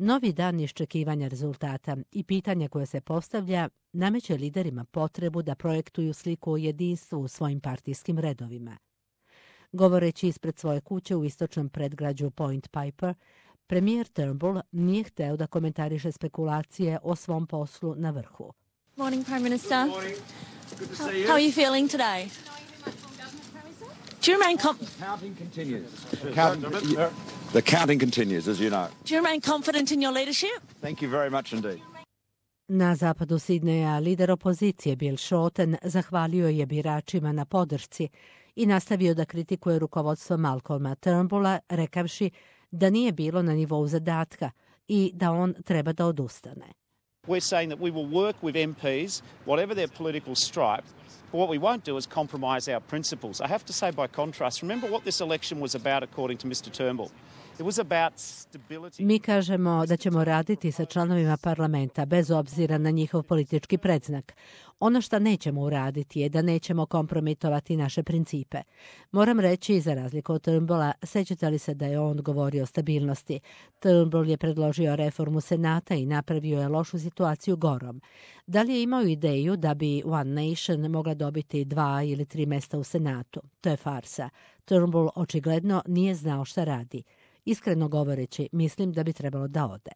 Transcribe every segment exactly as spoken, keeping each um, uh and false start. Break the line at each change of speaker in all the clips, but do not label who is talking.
Novi dan iščekivanja rezultata i pitanja koje se postavlja nameće liderima potrebu da projektuju sliku o jedinstvu u svojim partijskim redovima. Govoreći ispred svoje kuće u istočnom predgrađu Point Piper, premijer Turnbull nije hteo da komentariše spekulacije o svom poslu na vrhu.
Morning, Prime Minister. Good morning. Good to see you. How are you feeling today? Do you remain com-
The counting continues. The counting, the counting continues, as you know.
Do you remain confident in your leadership?
Thank you very much indeed.
Na zapadu Sidneja lider opozicije Bill Shorten zahvalio je biračima na podršci i nastavio da kritikuje rukovodstvo Malcolma Turnbulla, rekavši da nije bilo na nivou zadatka i da on treba da odustane.
We're saying that we will work with M Ps, whatever their political stripe, but what we won't do is compromise our principles. I have to say by contrast, remember what this election was about according to mister Turnbull. It was about stability.
Mi kažemo da ćemo raditi sa članovima parlamenta bez obzira na njihov politički predznak. Ono što nećemo uraditi je da nećemo kompromitovati naše principe. Moram reći, za razliku od Turnbulla, sećate li se da je on govorio o stabilnosti? Turnbull je predložio reformu Senata i napravio je lošu situaciju gorom. Da li je imao ideju da bi One Nation mogla dobiti dva ili tri mesta u Senatu? To je farsa. Turnbull očigledno nije znao šta radi. Iskreno govoreći, mislim da bi trebalo da ode.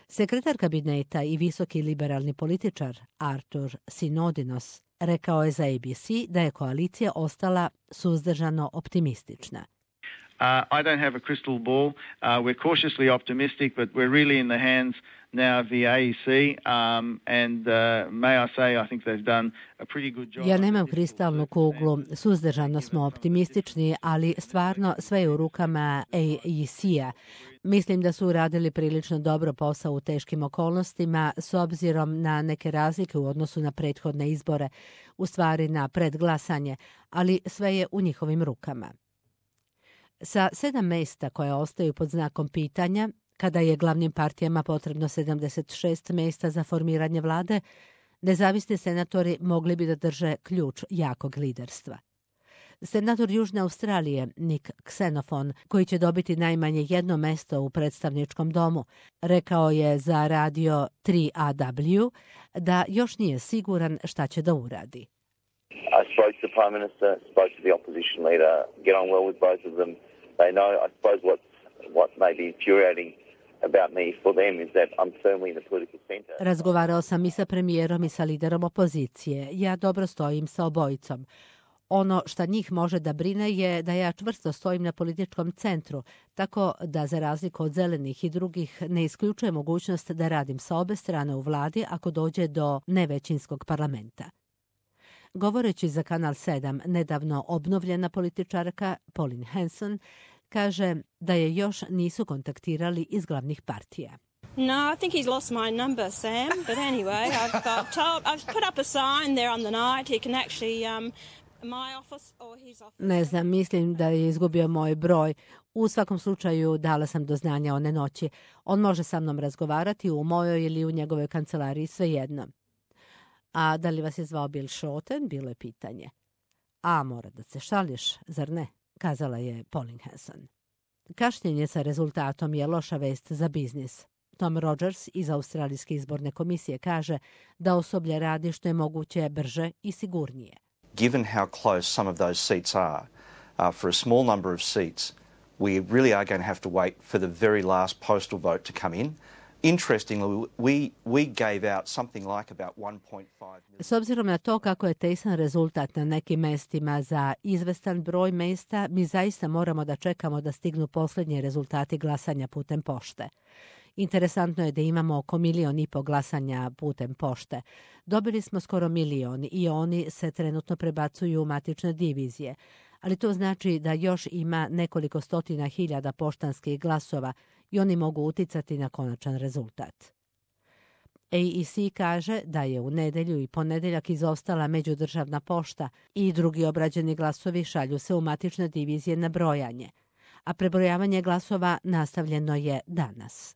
Sekretar kabineta i visoki liberalni političar Artur Sinodinos rekao je za A B C da je koalicija ostala suzdržano optimistična.
Uh, I don't have a crystal ball. Uh, we're cautiously optimistic, but we're really in the hands now of the A E C, um, and uh, may I say I think they've done a pretty good job.
Ja nemam kristalnu kuglu, suzdržano smo optimistični, ali stvarno sve je u rukama A E C-a. Mislim da su uradili prilično dobro posao u teškim okolnostima s obzirom na neke razlike u odnosu na prethodne izbore, u stvari na predglasanje, ali sve je u njihovim rukama. Sa sedam mesta koja ostaju pod znakom pitanja, kada je glavnim partijama potrebno sedamdeset šest mesta za formiranje vlade, nezavisni senatori mogli bi da drže ključ jakog liderstva. Senator Južne Australije Nick Xenophon, koji će dobiti najmanje jedno mesto u predstavničkom domu, rekao je za radio tri A W da još nije siguran šta će da uradi.
I spoke to the Prime Minister, spoke to the opposition leader, get on well with both of them. They know, I suppose, what, what may be infuriating about me for them is that I'm firmly in the political center.
Razgovarao sam i sa premijerom i sa liderom opozicije. Ja dobro stojim sa obojicom. Ono što njih može da brine je da ja čvrsto stojim na političkom centru, tako da za razliku od zelenih i drugih ne isključuje mogućnost da radim sa obe strane u vladi ako dođe do nevećinskog parlamenta. Govoreći za Kanal sedam, nedavno obnovljena političarka Pauline Hanson kaže da je još nisu kontaktirali iz glavnih partija.
No, I think he's lost my number, Sam. But anyway, I've, uh, told, I've put up a sign there on the night. He can actually, um, my office or his office.
Ne znam, mislim da je izgubio moj broj. U svakom slučaju dala sam do znanja one noći. On može sa mnom razgovarati u mojoj ili u njegovoj kancelariji, svejedno. A da li vas je zvao Bill Shorten, bilo je pitanje. A mora da se šališ, zar ne? Kazala je Pauline Hanson. Kašnjenje sa rezultatom je loša vest za biznis. Tom Rogers iz Australijske izborne komisije kaže da osoblje radi što je moguće brže i sigurnije.
Given how close some of those seats are, uh, for a small number of seats, we really are going to have to wait for the very last postal vote to come in. Interestingly, we, we gave out something like about one point five million.
S obzirom na to kako je tesan rezultat na nekim mestima za izvestan broj mesta, mi zaista moramo da čekamo da stignu posljednji rezultati glasanja putem pošte. Interesantno je da imamo oko milion i po glasanja putem pošte. Dobili smo skoro milion i oni se trenutno prebacuju u matične divizije. Ali to znači da još ima nekoliko stotina hiljada poštanskih glasova i oni mogu uticati na konačan rezultat. A E C kaže da je u nedelju i ponedeljak izostala međudržavna pošta i drugi obrađeni glasovi šalju se u matične divizije na brojanje, a prebrojavanje glasova nastavljeno je danas.